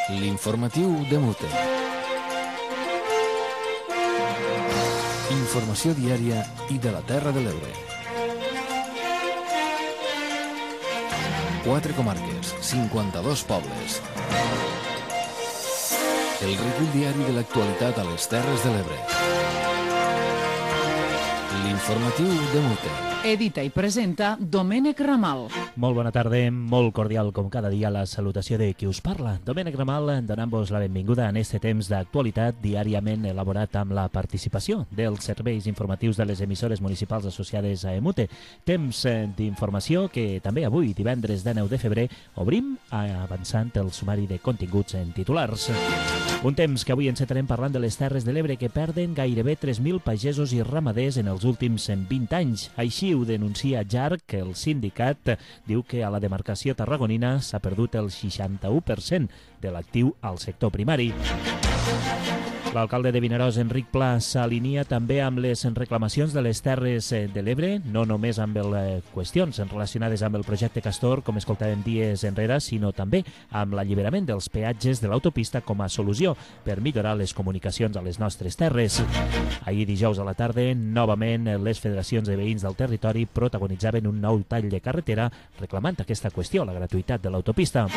L'informatiu de Mute. Informació diària i de la Terra de l'Ebre. 4 comarques, 52 pobles. El recull diari de l'actualitat a les Terres de l'Ebre. L'informatiu de Mute. Edita i presenta Domènec Ramal. Molt bona tarda, molt cordial com cada dia la salutació de qui us parla. Domènec Ramal, donant-vos la benvinguda en este temps d'actualitat diàriament elaborat amb la participació dels serveis informatius de les emissores municipals associades a EMUTE. Temps d'informació que també avui, divendres 19 de febrer, obrim avançant el sumari de continguts en titulars. Un temps que avui encetarem parlant de les Terres de l'Ebre que perden gairebé 3.000 pagesos i ramaders en els últims 20 anys. Així ho denuncia JARC, el sindicat diu que a la demarcació tarragonina s'ha perdut el 61% de l'actiu al sector primari. L'alcalde de Vinaròs, Enric Pla, s'alinea també amb les reclamacions de les Terres de l'Ebre, no només amb qüestions relacionades amb el projecte Castor, com escoltàvem dies enrere, sinó també amb l'alliberament dels peatges de l'autopista com a solució per millorar les comunicacions a les nostres terres. Ahir dijous a la tarda, novament, les federacions de veïns del territori protagonitzaven un nou tall de carretera reclamant aquesta qüestió, la gratuïtat de l'autopista.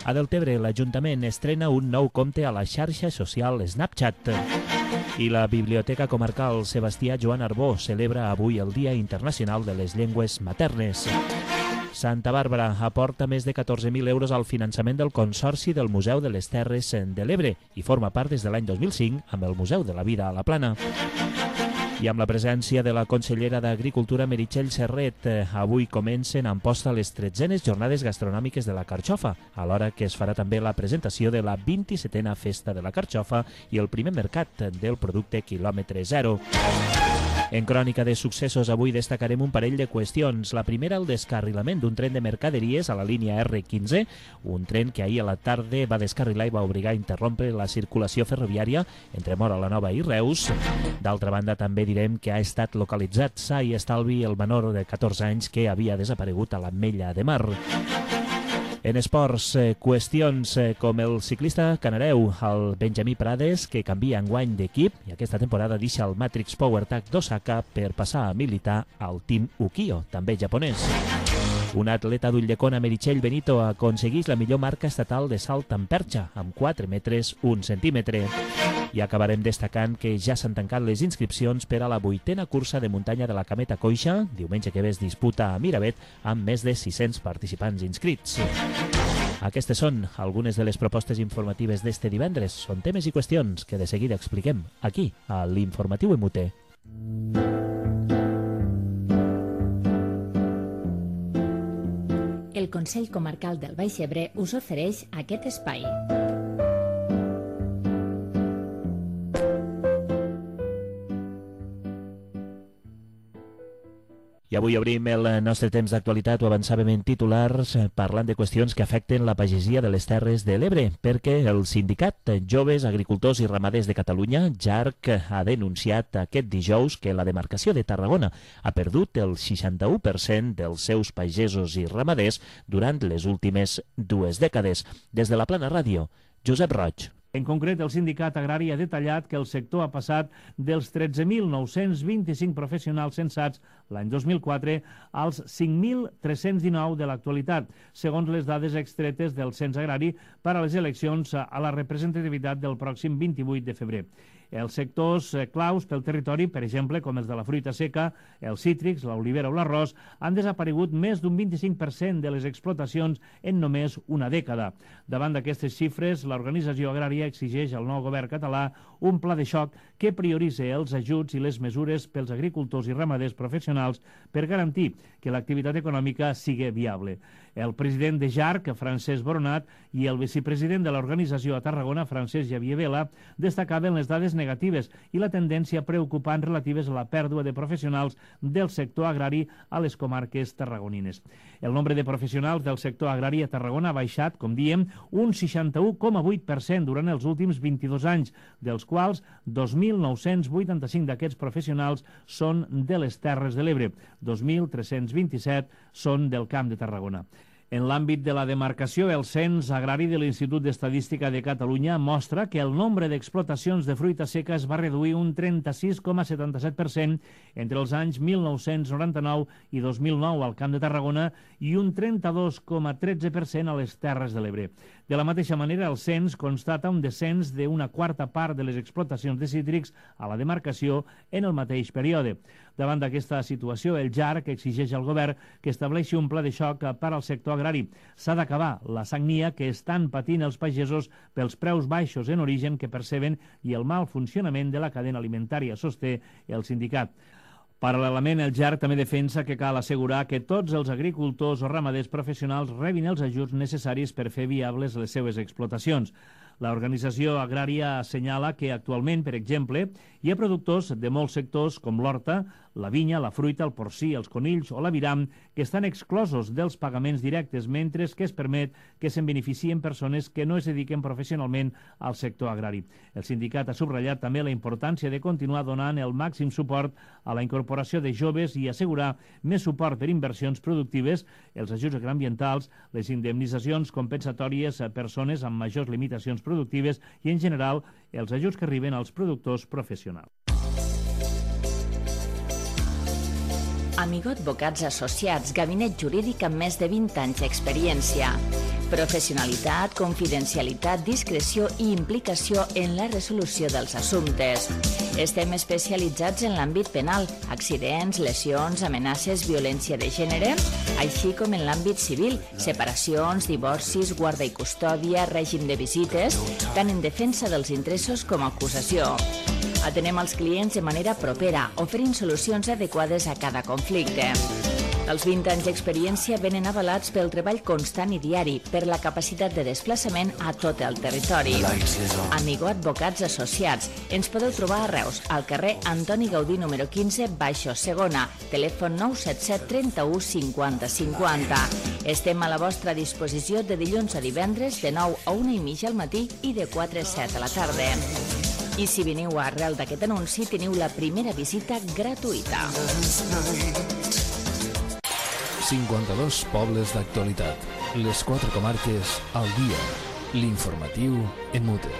A Deltebre, l'Ajuntament estrena un nou compte a la xarxa social Snapchat. I la Biblioteca Comarcal Sebastià Joan Arbó celebra avui el Dia Internacional de les Llengües Maternes. Santa Bàrbara aporta més de 14.000 euros al finançament del Consorci del Museu de les Terres de l'Ebre i forma part des de l'any 2005 amb el Museu de la Vida a la Plana. I amb la presència de la consellera d'Agricultura, Meritxell Serret, avui comencen a Amposta les 13enes jornades gastronòmiques de la carxofa, alhora que es farà també la presentació de la 27a Festa de la Carxofa i el primer mercat del producte quilòmetre zero. En crònica de successos, avui destacarem un parell de qüestions. La primera, el descarrilament d'un tren de mercaderies a la línia R15, un tren que ahir a la tarda va descarrilar i va obligar a interrompre la circulació ferroviària entre Móra la Nova i Reus. D'altra banda, també direm que ha estat localitzat sa i estalvi el menor de 14 anys que havia desaparegut a l'Ametlla de Mar. En esports, qüestions com el ciclista canareu, el Benjamí Prades, que canvia enguany d'equip i aquesta temporada deixa el Matrix PowerTech d'Osaka per passar a militar al Team Ukio, també japonès. Un atleta d'Ulldecona, Meritxell Benito, aconsegueix la millor marca estatal de salt en perxa, amb 4 metres 1 centímetre. I acabarem destacant que ja s'han tancat les inscripcions per a la 8a cursa de muntanya de la Cameta Coixa, diumenge que ve es disputa a Miravet, amb més de 600 participants inscrits. Aquestes són algunes de les propostes informatives d'este divendres. Són temes i qüestions que de seguida expliquem aquí, a l'Informatiu EMUTE. El Consell Comarcal del Baix Ebre us ofereix aquest espai. I avui obrim el nostre temps d'actualitat, ho avançàvem en titulars, parlant de qüestions que afecten la pagesia de les Terres de l'Ebre, perquè el sindicat Joves Agricultors i Ramaders de Catalunya, JARC, ha denunciat aquest dijous que la demarcació de Tarragona ha perdut el 61% dels seus pagesos i ramaders durant les últimes 2 dècades. Des de la Plana Ràdio, Josep Roig. En concret, el sindicat agrari ha detallat que el sector ha passat dels 13.925 professionals censats l'any 2004 als 5.319 de l'actualitat, segons les dades extretes del cens agrari per a les eleccions a la representativitat del pròxim 28 de febrer. Els sectors claus pel territori, per exemple, com els de la fruita seca, els cítrics, l'olivera o l'arròs, han desaparegut més d'un 25% de les explotacions en només una dècada. Davant d'aquestes xifres, l'organització agrària exigeix al nou govern català un pla de xoc que prioritzi els ajuts i les mesures pels agricultors i ramaders professionals per garantir que l'activitat econòmica sigui viable. El president de JARC, Francesc Boronat, i el vicepresident de l'organització a Tarragona, Francesc Javier Vela, destacaven les dades negatives i la tendència preocupant relatives a la pèrdua de professionals del sector agrari a les comarques tarragonines. El nombre de professionals del sector agrari a Tarragona ha baixat, com diem, un 61,8% durant els últims 22 anys, dels quals 2.985 d'aquests professionals són de les Terres de l'Ebre, 2.327 són del Camp de Tarragona. En l'àmbit de la demarcació, el Cens Agrari de l'Institut d'Estadística de Catalunya mostra que el nombre d'explotacions de fruita seca es va reduir un 36,77% entre els anys 1999 i 2009 al Camp de Tarragona i un 32,13% a les Terres de l'Ebre. De la mateixa manera, el cens constata un descens d'una quarta part de les explotacions de cítrics a la demarcació en el mateix període. Davant d'aquesta situació, el JARC exigeix al govern que estableixi un pla de xoc per al sector agrari. S'ha d'acabar la sagnia que estan patint els pagesos pels preus baixos en origen que perceben i el mal funcionament de la cadena alimentària, sosté el sindicat. Paral·lelament, el JARC també defensa que cal assegurar que tots els agricultors o ramaders professionals rebin els ajuts necessaris per fer viables les seues explotacions. L'organització agrària assenyala que actualment, per exemple, hi ha productors de molts sectors com l'horta, la vinya, la fruita, el porcí, els conills o l'aviram que estan exclosos dels pagaments directes, mentre que es permet que se'n beneficien persones que no es dediquen professionalment al sector agrari. El sindicat ha subratllat també la importància de continuar donant el màxim suport a la incorporació de joves i assegurar més suport per inversions productives, els ajuts agroambientals, les indemnitzacions compensatòries a persones amb majors limitacions productives i, en general, els ajuts que arriben als productors professionals. Amigo Advocats Associats, gabinet jurídic amb més de 20 anys d'experiència. Professionalitat, confidencialitat, discreció i implicació en la resolució dels assumptes. Estem especialitzats en l'àmbit penal, accidents, lesions, amenaces, violència de gènere, així com en l'àmbit civil, separacions, divorcis, guarda i custòdia, règim de visites, tant en defensa dels interessos com a acusació. Atenem els clients de manera propera, oferint solucions adequades a cada conflicte. Els 20 anys d'experiència venen avalats pel treball constant i diari, per la capacitat de desplaçament a tot el territori. Amigo Advocats Associats. Ens podeu trobar a Reus, al carrer Antoni Gaudí número 15, baixo segona, telèfon 977 31 50 50. Estem a la vostra disposició de dilluns a divendres de 9 a 1:30 al matí i de 4 a 7 a la tarda. I si veniu arrel d'aquest anunci, teniu la primera visita gratuïta. 52 pobles d'actualitat. Les 4 comarques al dia. L'informatiu en mute.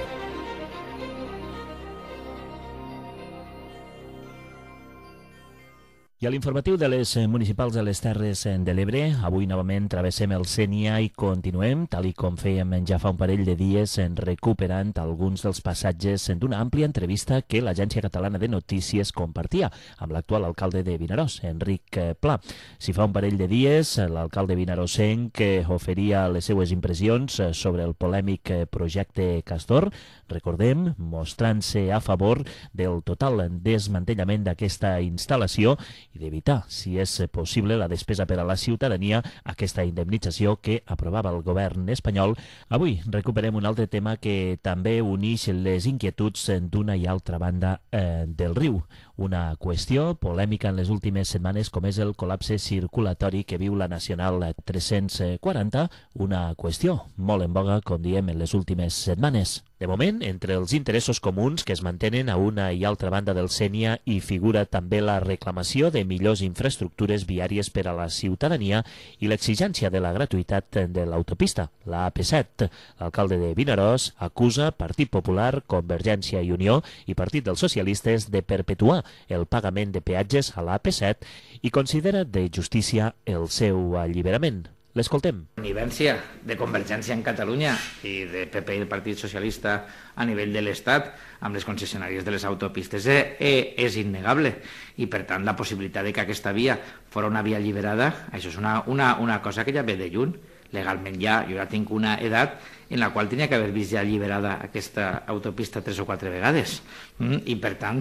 I a l'informatiu de les municipals de les Terres de l'Ebre, avui novament travessem el Sénia i continuem, tal i com fèiem ja fa un parell de dies, recuperant alguns dels passatges d'una àmplia entrevista que l'Agència Catalana de Notícies compartia amb l'actual alcalde de Vinaròs, Enric Pla. Si fa un parell de dies, l'alcalde vinaròsenc oferia les seues impressions sobre el polèmic projecte Castor, recordem, mostrant-se a favor del total desmantellament d'aquesta instal·lació i d'evitar, si és possible, la despesa per a la ciutadania, aquesta indemnització que aprovava el govern espanyol. Avui recuperem un altre tema que també uneix les inquietuds d'una i altra banda del riu. Una qüestió polèmica en les últimes setmanes com és el col·lapse circulatori que viu la Nacional 340, una qüestió molt en boga, com diem, en les últimes setmanes. De moment, entre els interessos comuns que es mantenen a una i altra banda del Sénia hi figura també la reclamació de millors infraestructures viàries per a la ciutadania i l'exigència de la gratuïtat de l'autopista, la AP7. L'alcalde de Vinaròs acusa Partit Popular, Convergència i Unió i Partit dels Socialistes de perpetuar el pagament de peatges a la AP7 i considera de justícia el seu alliberament. L'escoltem. La connivència de Convergència en Catalunya i de PP i el Partit Socialista a nivell de l'Estat amb les concessionàries de les autopistes és innegable i, per tant, la possibilitat de que aquesta via fos una via alliberada, això és una cosa que ja ve de lluny. Legalment jo ja tinc una edat en la qual tenia que haver vist ja alliberada aquesta autopista 3 o 4 vegades. I, per tant,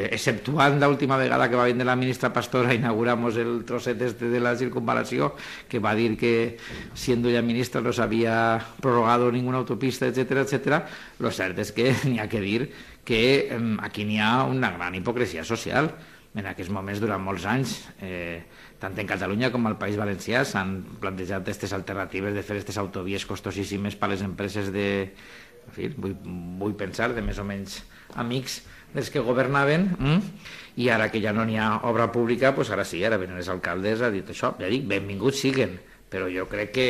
exceptuant l'última vegada que va vindre la ministra Pastora, inauguramos el trosset de la circunvalació, que va dir que, siendo ya ministra, no s'havia prorrogado ninguna autopista, etcétera, etcétera. Lo cert és que n'hi ha que dir que aquí n'hi ha una gran hipocresia social. en aquests moments, durant molts anys, tant en Catalunya com al País Valencià, s'han plantejat aquestes alternatives de fer aquestes autovies costosíssimes per a les empreses de... En fi, vull pensar, de més o menys amics dels que governaven, i ara que ja no n'hi ha obra pública, doncs ara sí, ara venen els alcaldes a dir això. Ja dic, benvinguts siguen, però jo crec que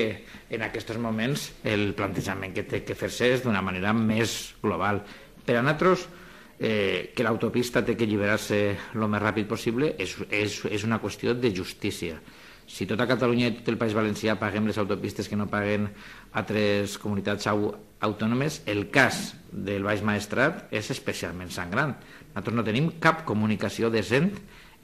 en aquests moments el plantejament que té que fer-se és d'una manera més global. Per a nosaltres, que l'autopista té que alliberar-se el més ràpid possible és una qüestió de justícia. Si tota Catalunya i tot el País Valencià paguem les autopistes que no paguen altres comunitats autònomes, el cas del Baix Maestrat és especialment sangrant. Nosaltres no tenim cap comunicació decent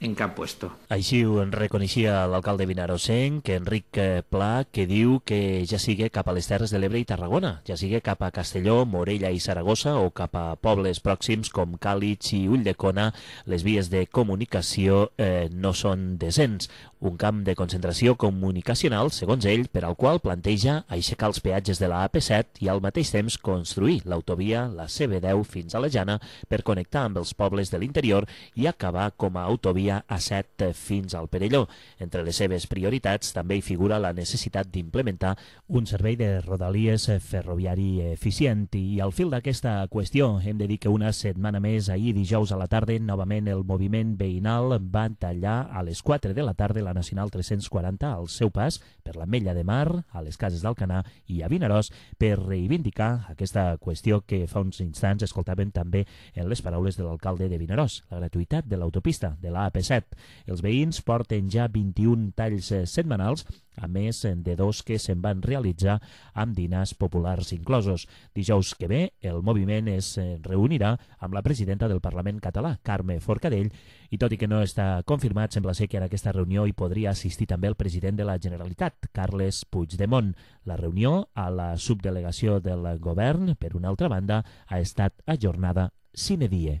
en cap puesto. Així ho reconeixia l'alcalde vinarosenc, Enric Pla, que diu que ja sigui cap a les Terres de l'Ebre i Tarragona, ja sigui cap a Castelló, Morella i Saragossa o cap a pobles pròxims com Càlig i Ulldecona, les vies de comunicació no són decents. Un camp de concentració comunicacional, segons ell, per al qual planteja aixecar els peatges de la AP7 i al mateix temps construir l'autovia, la CB10 fins a la Jana, per connectar amb els pobles de l'interior i acabar com a autovia A7 fins al Perelló. Entre les seves prioritats també hi figura la necessitat d'implementar un servei de rodalies ferroviari eficient. I al fil d'aquesta qüestió hem de dir que una setmana més, ahir dijous a la tarda, novament el moviment veïnal va tallar a les 4 de la tarda la Nacional 340 al seu pas per l'Ametlla de Mar, a les Cases d'Alcanar i a Vinaròs per reivindicar aquesta qüestió que fa uns instants escoltàvem també en les paraules de l'alcalde de Vinaròs, la gratuïtat de l'autopista de la AP7. Els veïns porten ja 21 talls setmanals, a més de 2 que se'n van realitzar amb dinars populars inclosos. Dijous que ve, el moviment es reunirà amb la presidenta del Parlament català, Carme Forcadell, i tot i que no està confirmat, sembla ser que en aquesta reunió hi podria assistir també el president de la Generalitat, Carles Puigdemont. La reunió a la subdelegació del govern, per una altra banda, ha estat ajornada sine die.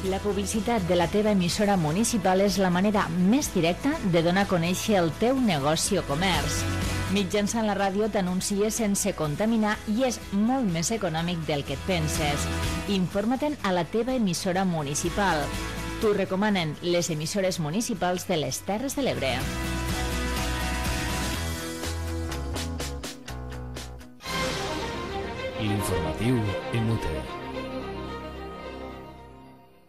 La publicitat de la teva emissora municipal és la manera més directa de donar a conèixer el teu negoci o comerç. Mitjançant la ràdio t'anuncies sense contaminar i és molt més econòmic del que et penses. Informa-te'n a la teva emissora municipal. T'ho recomanen les emissores municipals de les Terres de l'Ebre. L'informatiu en UTE.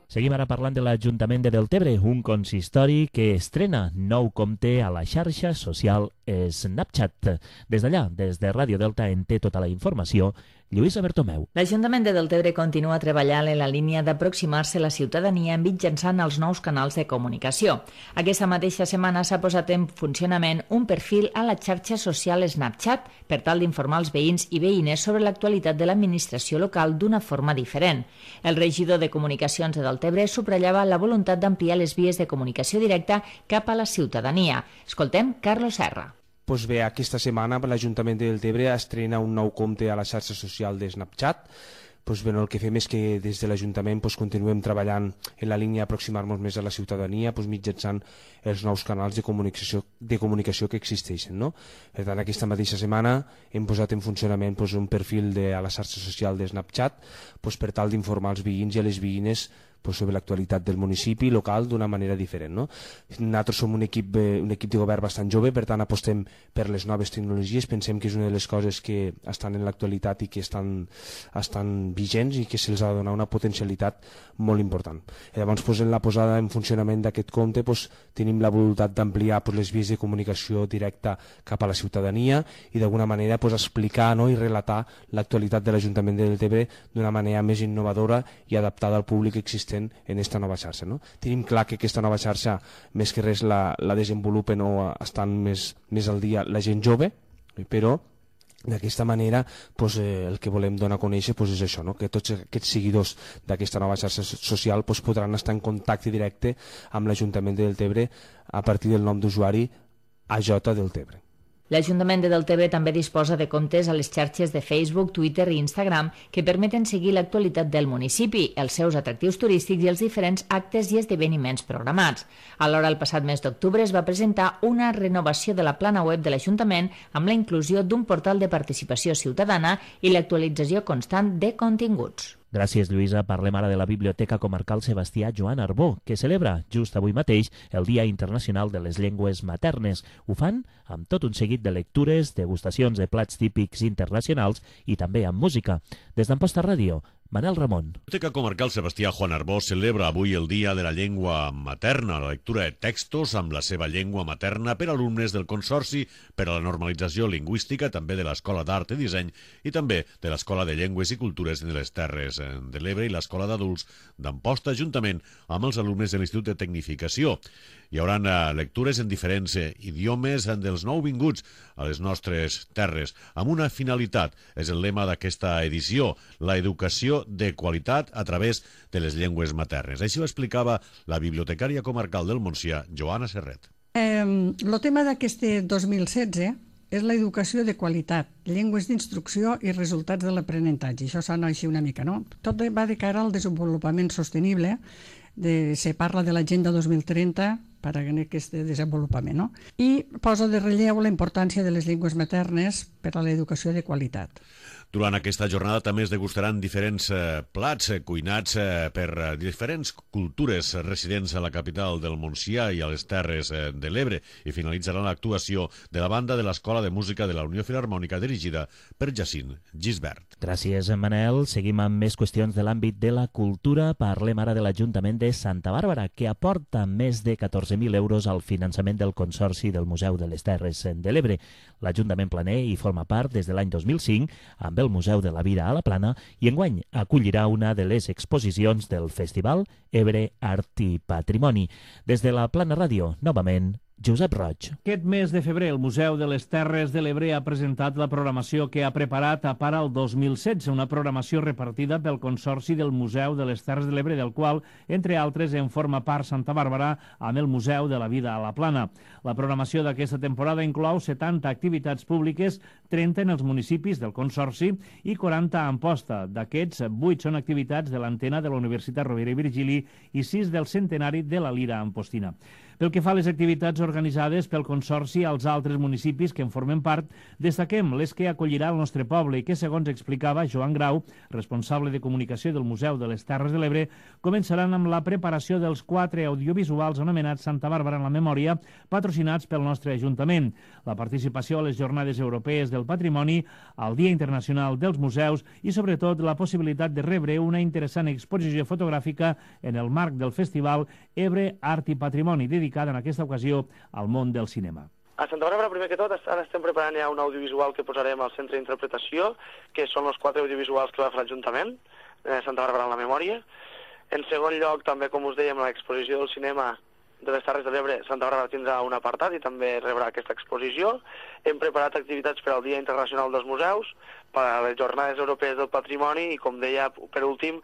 Seguim ara parlant de l'Ajuntament de Deltebre, un consistori que estrena nou compte a la xarxa social Snapchat. Des d'allà, des de Ràdio Delta, en té tota la informació Lluïsa Bertomeu. L'Ajuntament de Deltebre continua treballant en la línia d'aproximar-se a la ciutadania mitjançant els nous canals de comunicació. Aquesta mateixa setmana s'ha posat en funcionament un perfil a la xarxa social Snapchat per tal d'informar els veïns i veïnes sobre l'actualitat de l'administració local d'una forma diferent. El regidor de Comunicacions de Deltebre subratllava la voluntat d'ampliar les vies de comunicació directa cap a la ciutadania. Escoltem Carlos Serra. Doncs bé, aquesta setmana l'Ajuntament de Deltebre estrena un nou compte a la xarxa social de Snapchat. Doncs bé, el que fem és que des de l'Ajuntament continuem treballant en la línia d'aproximar-nos més a la ciutadania mitjançant els nous canals de comunicació que existeixen. No? Per tant, aquesta mateixa setmana hem posat en funcionament un perfil a la xarxa social de Snapchat per tal d'informar els veïns i a les veïnes sobre l'actualitat del municipi local d'una manera diferent. No? Nosaltres som un equip de govern bastant jove, per tant apostem per les noves tecnologies, pensem que és una de les coses que estan en l'actualitat i que estan vigents i que se'ls ha de donar una potencialitat molt important. Llavors, en la posada en funcionament d'aquest compte tenim la voluntat d'ampliar les vies de comunicació directa cap a la ciutadania i d'alguna manera explicar i relatar l'actualitat de l'Ajuntament de Deltebre d'una manera més innovadora i adaptada al públic existent en aquesta nova xarxa. No? Tenim clar que aquesta nova xarxa més que res la desenvolupen o estan més al dia la gent jove, però d'aquesta manera el que volem donar a conèixer és això, que tots aquests seguidors d'aquesta nova xarxa social podran estar en contacte directe amb l'Ajuntament de Deltebre a partir del nom d'usuari AJ Deltebre. L'Ajuntament de Deltebre també disposa de comptes a les xarxes de Facebook, Twitter i Instagram que permeten seguir l'actualitat del municipi, els seus atractius turístics i els diferents actes i esdeveniments programats. Alhora, el passat mes d'octubre es va presentar una renovació de la plana web de l'Ajuntament amb la inclusió d'un portal de participació ciutadana i l'actualització constant de continguts. Gràcies, Lluïsa. Parlem ara de la Biblioteca Comarcal Sebastià Joan Arbó, que celebra just avui mateix el Dia Internacional de les Llengües Maternes. Ho fan amb tot un seguit de lectures, degustacions de plats típics internacionals i també amb música. Des d'Amposta Ràdio, Manel Ramon. La Biblioteca Comarcal Sebastià Joan Arbó celebra avui el Dia de la Llengua Materna, la lectura de textos amb la seva llengua materna per alumnes del Consorci per a la Normalització Lingüística, també de l'Escola d'Art i Disseny i també de l'Escola de Llengües i Cultures de les Terres de l'Ebre i l'Escola d'Adults d'Amposta, juntament amb els alumnes de l'Institut de Tecnificació. Hi haurà lectures en diferents idiomes dels nouvinguts a les nostres terres, amb una finalitat, és el lema d'aquesta edició, la educació de qualitat a través de les llengües maternes. Així ho explicava la bibliotecària comarcal del Montsià, Joana Serret. El tema d'aquest 2016 és l'educació de qualitat, llengües d'instrucció i resultats de l'aprenentatge. Això sona així una mica, no? Tot va de cara al desenvolupament sostenible, se parla de l'Agenda 2030 per a aquest desenvolupament, no? I posa de relleu la importància de les llengües maternes per a l'educació de qualitat. Durant aquesta jornada també es degustaran diferents plats cuinats per diferents cultures residents a la capital del Montsià i a les Terres de l'Ebre i finalitzarà l'actuació de la banda de l'Escola de Música de la Unió Filharmònica dirigida per Jacint Gisbert. Gràcies, Manel. Seguim amb més qüestions de l'àmbit de la cultura. Parlem ara de l'Ajuntament de Santa Bàrbara, que aporta més de 14.000 euros al finançament del Consorci del Museu de les Terres de l'Ebre. L'Ajuntament planer hi forma part des de l'any 2005 amb el Museu de la Vida a la Plana i enguany acollirà una de les exposicions del Festival Ebre Art i Patrimoni. Des de la Plana Ràdio, novament, Josep Roig. Aquest mes de febrer, el Museu de les Terres de l'Ebre ha presentat la programació que ha preparat a part al 2016, una programació repartida pel Consorci del Museu de les Terres de l'Ebre, del qual, entre altres, en forma part Santa Bàrbara amb el Museu de la Vida a la Plana. La programació d'aquesta temporada inclou 70 activitats públiques, 30 en els municipis del Consorci i 40 a Amposta. D'aquests, 8 són activitats de l'antena de la Universitat Rovira i Virgili i 6 del centenari de la Lira Ampostina. Pel que fa a les activitats organitzades pel Consorci als altres municipis que en formen part, destaquem les que acollirà el nostre poble i que, segons explicava Joan Grau, responsable de comunicació del Museu de les Terres de l'Ebre, començaran amb la preparació dels 4 audiovisuals anomenats Santa Bàrbara en la memòria, patrocinats pel nostre Ajuntament, la participació a les Jornades Europees del Patrimoni, al Dia Internacional dels Museus i, sobretot, la possibilitat de rebre una interessant exposició fotogràfica en el marc del Festival Ebre Art i Patrimoni, dedicada en aquesta ocasió al món del cinema. A Santa Bàrbara, primer que tot, ara estem preparant ja un audiovisual que posarem al centre d'interpretació, que són els 4 audiovisuals que va fer l'Ajuntament, Santa Bàrbara en la memòria. En segon lloc, també, com us dèiem, l'exposició del cinema de les Terres de l'Ebre, Santa Bàrbara tindrà un apartat i també rebrà aquesta exposició. Hem preparat activitats per al Dia Internacional dels Museus, per a les Jornades Europees del Patrimoni i, com deia, per últim,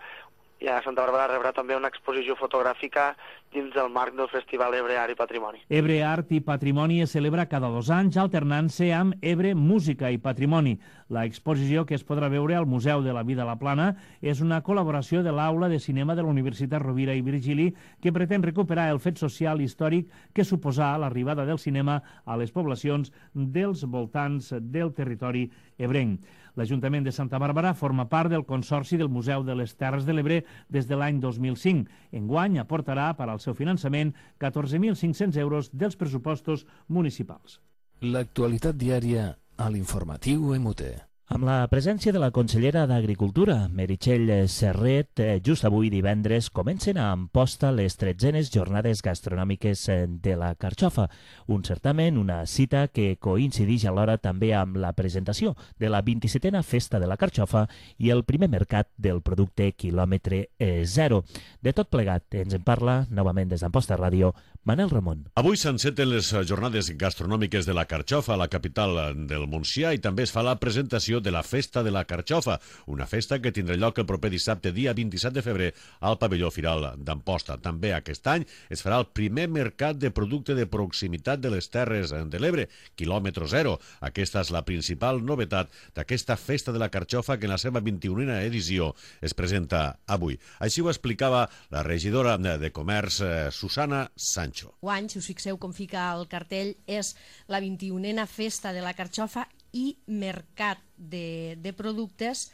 ja Santa Bàrbara rebrà també una exposició fotogràfica dins del marc del Festival Ebre Art i Patrimoni. Ebre Art i Patrimoni es celebra cada 2 anys, alternant-se amb Ebre Música i Patrimoni. La exposició que es podrà veure al Museu de la Vida a la Plana és una col·laboració de l'Aula de Cinema de la Universitat Rovira i Virgili que pretén recuperar el fet social històric que suposà l'arribada del cinema a les poblacions dels voltants del territori ebrenc. L'Ajuntament de Santa Bàrbara forma part del Consorci del Museu de les Terres de l'Ebre des de l'any 2005. Enguany aportarà per al seu finançament 14.500 euros dels pressupostos municipals. L'actualitat diària a l'informatiu MUT. Amb la presència de la consellera d'Agricultura, Meritxell Serret, just avui divendres comencen a Amposta les 13enes Jornades Gastronòmiques de la Carxofa, un certamen, una cita que coincideix alhora també amb la presentació de la 27a Festa de la Carxofa i el primer mercat del producte quilòmetre zero. De tot plegat ens en parla, novament des d'Amposta Ràdio, Manel Ramon. Avui s'enceten les Jornades Gastronòmiques de la Carxofa a la capital del Montsià i també es fa la presentació de la Festa de la Carxofa, una festa que tindrà lloc el proper dissabte, dia 27 de febrer, al pavelló Firal d'Amposta. També aquest any es farà el primer mercat de producte de proximitat de les Terres de l'Ebre, quilòmetre zero. Aquesta és la principal novetat d'aquesta Festa de la Carxofa que en la seva 21a edició es presenta avui. Així ho explicava la regidora de Comerç, Susana Sancho. Guany, si us fixeu com fica el cartell, és la 21a Festa de la Carxofa i mercat de productes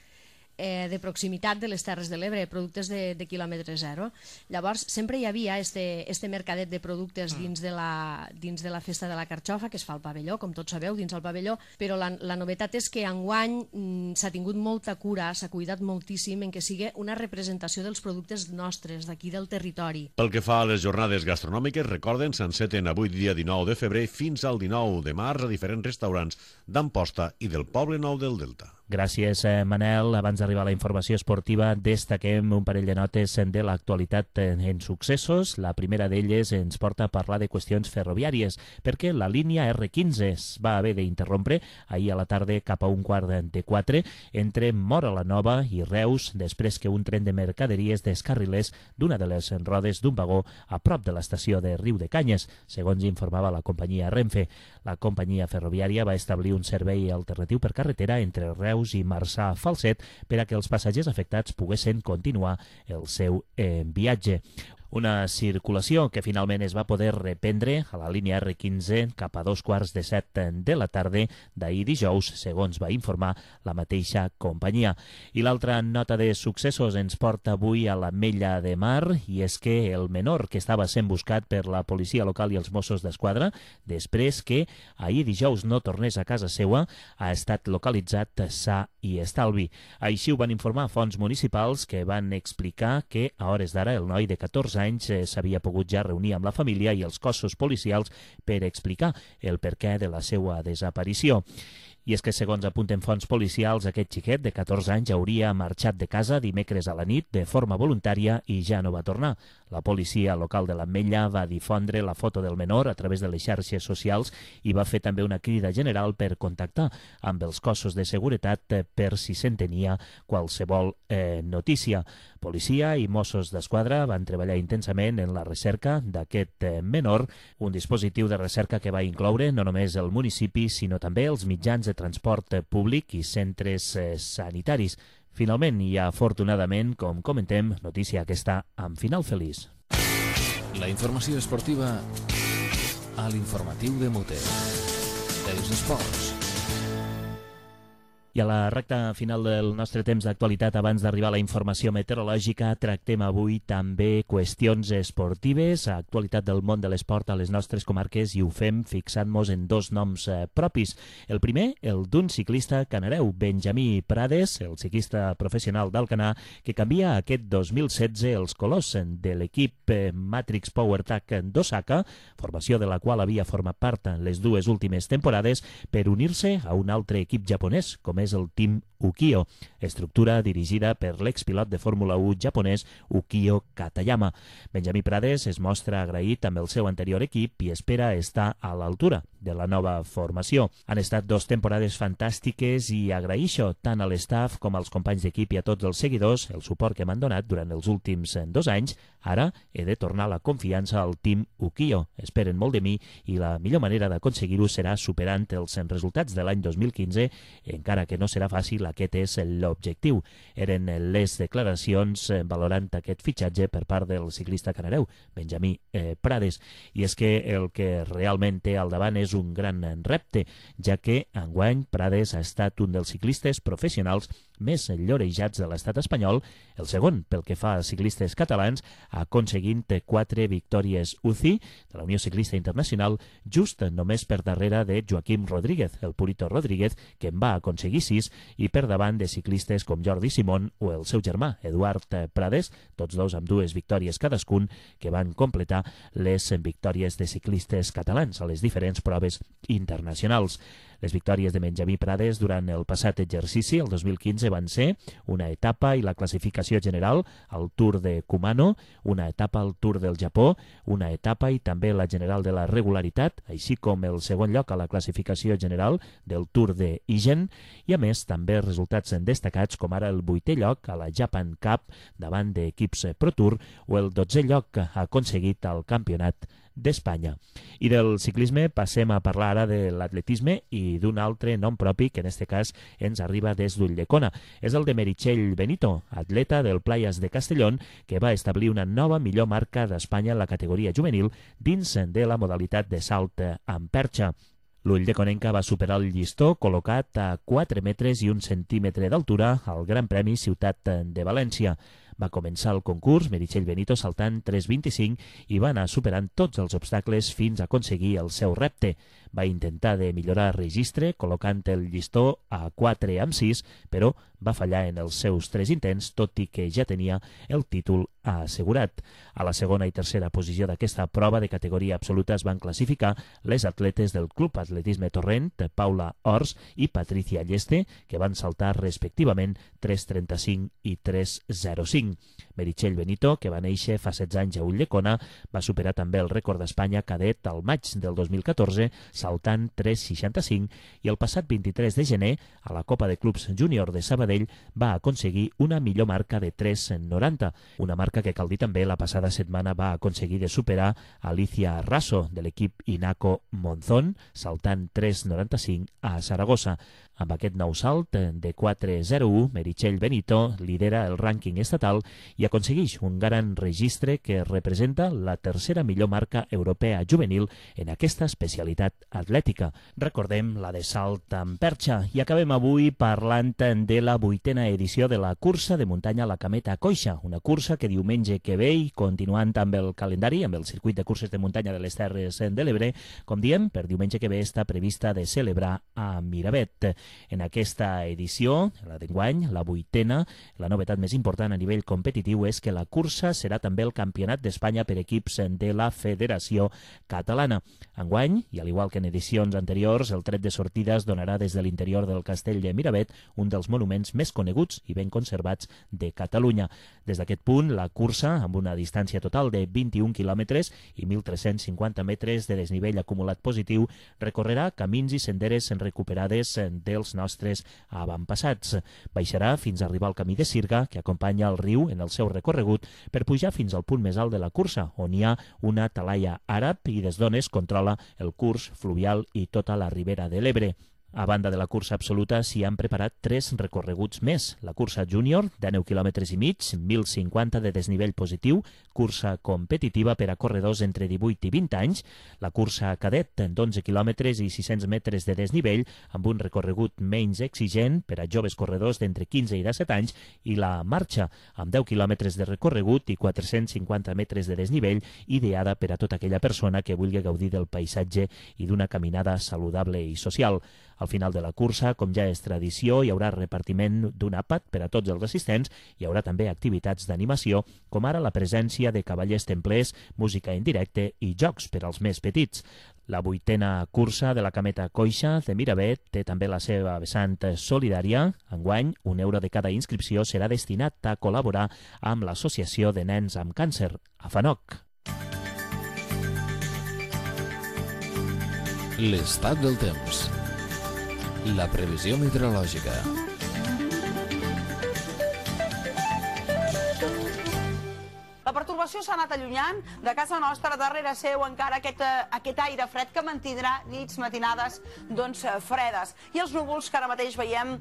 de proximitat de les Terres de l'Ebre, productes de quilòmetre zero. Llavors, sempre hi havia este mercadet de productes dins de la festa de la Carxofa, que es fa al pavelló, com tots sabeu, dins el pavelló, però la novetat és que enguany s'ha tingut molta cura, s'ha cuidat moltíssim en que sigui una representació dels productes nostres, d'aquí del territori. Pel que fa a les jornades gastronòmiques, recorden, s'enceten avui dia 19 de febrer fins al 19 de març a diferents restaurants d'Amposta i del Poble Nou del Delta. Gràcies, Manel. Abans d'arribar a la informació esportiva, destaquem un parell de notes de l'actualitat en successos. La primera d'elles ens porta a parlar de qüestions ferroviàries, perquè la línia R15 es va haver d'interrompre ahir a la tarda cap a 3:15 entre Móra la Nova i Reus, després que un tren de mercaderies descarrilés d'una de les rodes d'un vagó a prop de l'estació de Riu de Canyes, segons informava la companyia Renfe. La companyia ferroviària va establir un servei alternatiu per carretera entre Reus i Marçà Falset per a que els passatgers afectats poguessin continuar el seu viatge. Una circulació que finalment es va poder reprendre a la línia R15 cap a 7:15 de la tarda d'ahir dijous, segons va informar la mateixa companyia. I l'altra nota de successos ens porta avui a l'Ametlla de Mar, i és que el menor que estava sent buscat per la policia local i els Mossos d'Esquadra, després que ahir dijous no tornés a casa seua, ha estat localitzat sa i estalvi. Així ho van informar fonts municipals, que van explicar que a hores d'ara el noi de 14 anys s'havia pogut ja reunir amb la família i els cossos policials per explicar el perquè de la seva desaparició. I és que, segons apunten fonts policials, aquest xiquet de 14 anys hauria marxat de casa dimecres a la nit de forma voluntària i ja no va tornar. La policia local de l'Ametlla va difondre la foto del menor a través de les xarxes socials i va fer també una crida general per contactar amb els cossos de seguretat per si se'n tenia qualsevol notícia. Policia i Mossos d'Esquadra van treballar intensament en la recerca d'aquest menor, un dispositiu de recerca que va incloure no només el municipi, sinó també els mitjans de transport públic i centres sanitaris. Finalment, i afortunadament, com comentem, notícia que està amb final feliç. La informació esportiva a l'informatiu de Mote. Els esports. I a la recta final del nostre temps d'actualitat, abans d'arribar a la informació meteorològica, tractem avui també qüestions esportives, actualitat del món de l'esport a les nostres comarques, i ho fem fixant-nos en dos noms propis. El primer, el d'un ciclista canareu, Benjamí Prades, el ciclista professional d'Alcanar, que canvia aquest 2016 els colors de l'equip Matrix PowerTac d'Osaka, formació de la qual havia format part en les dues últimes temporades, per unir-se a un altre equip japonès, com és el Team Ukiyo, estructura dirigida per l'expilot de Fórmula 1 japonès Ukiyo Katayama. Benjamí Prades es mostra agraït amb el seu anterior equip i espera estar a l'altura de la nova formació. Han estat 2 temporades fantàstiques i agraïxo tant a l'estaf com als companys d'equip i a tots els seguidors el suport que m'han donat durant els últims 2 anys. Ara he de tornar la confiança al Team Ukiyo. Esperen molt de mi i la millor manera d'aconseguir-ho serà superant els resultats de l'any 2015, encara que no serà fàcil, aquest és l'objectiu. Eren les declaracions valorant aquest fitxatge per part del ciclista canareu, Benjamí Prades. I és que el que realment té al davant és un gran repte, ja que enguany Prades ha estat un dels ciclistes professionals més llorejats de l'estat espanyol, el segon pel que fa a ciclistes catalans, aconseguint 4 victòries UCI de la Unió Ciclista Internacional, just només per darrere de Joaquim Rodríguez, el Purito Rodríguez, que en va aconseguir 6, i per davant de ciclistes com Jordi Simón o el seu germà, Eduard Prades, tots dos amb 2 victòries cadascun, que van completar les victòries de ciclistes catalans a les diferents proves internacionals. Les victòries de Benjamí Prades durant el passat exercici, el 2015, van ser una etapa i la classificació general al Tour de Kumano, una etapa al Tour del Japó, una etapa i també la general de la regularitat, així com el segon lloc a la classificació general del Tour de Ijen, i a més també resultats destacats com ara el 8è lloc a la Japan Cup davant d'equips Pro Tour o el 12è lloc aconseguit al Campionat d'Espanya. I del ciclisme passem a parlar ara de l'atletisme i d'un altre nom propi que en aquest cas ens arriba des d'Ulldecona. És el de Meritxell Benito, atleta del Playas de Castellón, que va establir una nova millor marca d'Espanya en la categoria juvenil dins de la modalitat de salt amb perxa. L'Ull de Conenca va superar el llistó col·locat a 4 metres i 1 centímetre d'altura al Gran Premi Ciutat de València. Va començar el concurs Meritxell Benito saltant 3,25 i va anar superant tots els obstacles fins a aconseguir el seu repte. Va intentar de millorar registre col·locant el llistó a 4,6, però va fallar en els seus 3 intents, tot i que ja tenia el títol assegurat. A la segona i tercera posició d'aquesta prova de categoria absoluta es van classificar les atletes del Club Atletisme Torrent, Paula Ors i Patricia Lleste, que van saltar respectivament 3,35 i 3,05. Meritxell Benito, que va néixer fa 16 anys a Ulldecona, va superar també el rècord d'Espanya cadet al maig del 2014, saltant 3,65, i el passat 23 de gener, a la Copa de Clubs Júnior de Sabadell, va aconseguir una millor marca de 3,90, una marca que cal dir també la passada setmana va aconseguir de superar Alicia Raso, de l'equip Inaco Monzón, saltant 3,95 a Saragossa. Amb aquest nou salt de 4,01, Meritxell Benito lidera el rànquing estatal i aconsegueix un gran registre que representa la tercera millor marca europea juvenil en aquesta especialitat atlètica. Recordem la de salt amb perxa i acabem avui parlant de la 8a edició de la cursa de muntanya La Cameta Coixa, una cursa que diumenge que ve, i continuant amb el calendari, amb el circuit de curses de muntanya de les Terres de l'Ebre, com diem, per diumenge que ve està prevista de celebrar a Miravet. En aquesta edició, la d'enguany, la 8a, la novetat més important a nivell competitiu és que la cursa serà també el Campionat d'Espanya per equips de la Federació Catalana. Enguany, i al igual que en edicions anteriors, el tret de sortida es donarà des de l'interior del Castell de Miravet, un dels monuments més coneguts i ben conservats de Catalunya. Des d'aquest punt, la cursa, amb una distància total de 21 quilòmetres i 1.350 metres de desnivell acumulat positiu, recorrerà camins i senderes recuperades dels nostres avantpassats. Baixarà fins a arribar al camí de Sirga, que acompanya el riu en el seu recorregut, per pujar fins al punt més alt de la cursa, on hi ha una talaia àrab i des d'on es controla el curs fluvial i tota la ribera de l'Ebre. A banda de la cursa absoluta, s'hi han preparat 3 recorreguts més. La cursa júnior, de 9 km i mig, 1.050 de desnivell positiu, cursa competitiva per a corredors entre 18 i 20 anys, la cursa cadet, d'11 km i 600 metres de desnivell, amb un recorregut menys exigent per a joves corredors d'entre 15 i 17 anys, i la marxa, amb 10 km de recorregut i 450 metres de desnivell, ideada per a tota aquella persona que vulgui gaudir del paisatge i d'una caminada saludable i social. Al final de la cursa, com ja és tradició, hi haurà repartiment d'un àpat per a tots els assistents, hi haurà també activitats d'animació, com ara la presència de cavallers templers, música en directe i jocs per als més petits. La 8a cursa de la Cameta Coixa de Miravet té també la seva vessant solidària. Enguany, €1 de cada inscripció serà destinat a col·laborar amb l'Associació de Nens amb Càncer, AFANOC. L'estat del temps. La previsió meteorològica. La pertorbació s'ha anat allunyant de casa nostra, darrere seu encara aquest aire fred que mantindrà nits, matinades fredes. I els núvols que ara mateix veiem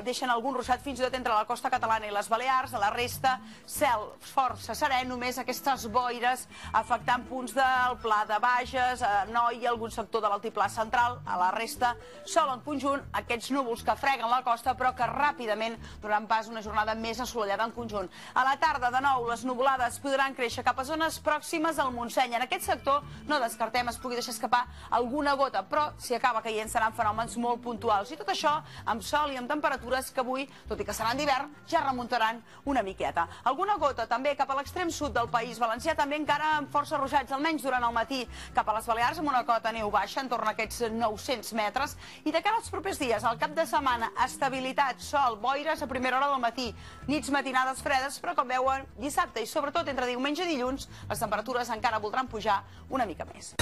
deixen algun ruixat fins i tot entre la costa catalana i les Balears. A la resta, cel força serè, només aquestes boires afectant punts del Pla de Bages, Noi i algun sector de l'altiplà central. A la resta, sol en conjunt, aquests núvols que freguen la costa però que ràpidament donaran pas a una jornada més assolellada en conjunt. A la tarda, de nou, les nuvolades podran créixer cap a zones pròximes al Montseny. En aquest sector no descartem es pugui deixar escapar alguna gota, però si acaba caient seran fenòmens molt puntuals. I tot això amb sol i amb temperatures que avui, tot i que seran d'hivern, ja remuntaran una miqueta. Alguna gota també cap a l'extrem sud del País Valencià, també encara amb força ruixats, almenys durant el matí, cap a les Balears amb una cota neu baixa, entorn a aquests 900 metres. I de cara als propers dies, al cap de setmana, estabilitat, sol, boires a primera hora del matí, nits matinades fredes, però com veuen, dissabte i sobretot entre diumenge i dilluns, les temperatures encara voldran pujar una mica més.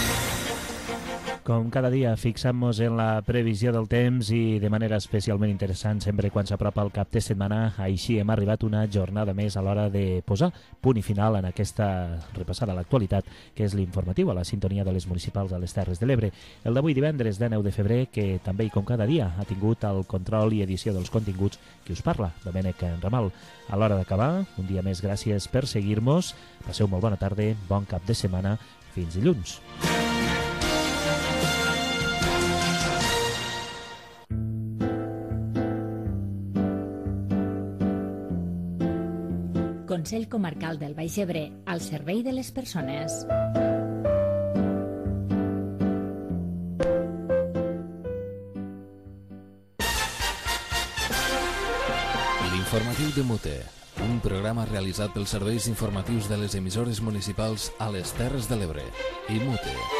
Com cada dia, fixant-nos en la previsió del temps i de manera especialment interessant sempre quan s'apropa el cap de setmana, així hem arribat una jornada més a l'hora de posar punt i final en aquesta repassada a l'actualitat, que és l'informatiu a la sintonia de les municipals de les Terres de l'Ebre. El d'avui divendres de 9 de febrer, que també i com cada dia ha tingut el control i edició dels continguts qui us parla, Domènec Ramal. A l'hora d'acabar, un dia més, gràcies per seguir-nos. Passeu molt bona tarda, bon cap de setmana. Fins dilluns. Consell Comarcal del Baix Ebre, al servei de les persones. L'informatiu de Mute, un programa realitzat pels serveis informatius de les emissores municipals a les Terres de l'Ebre i Mute.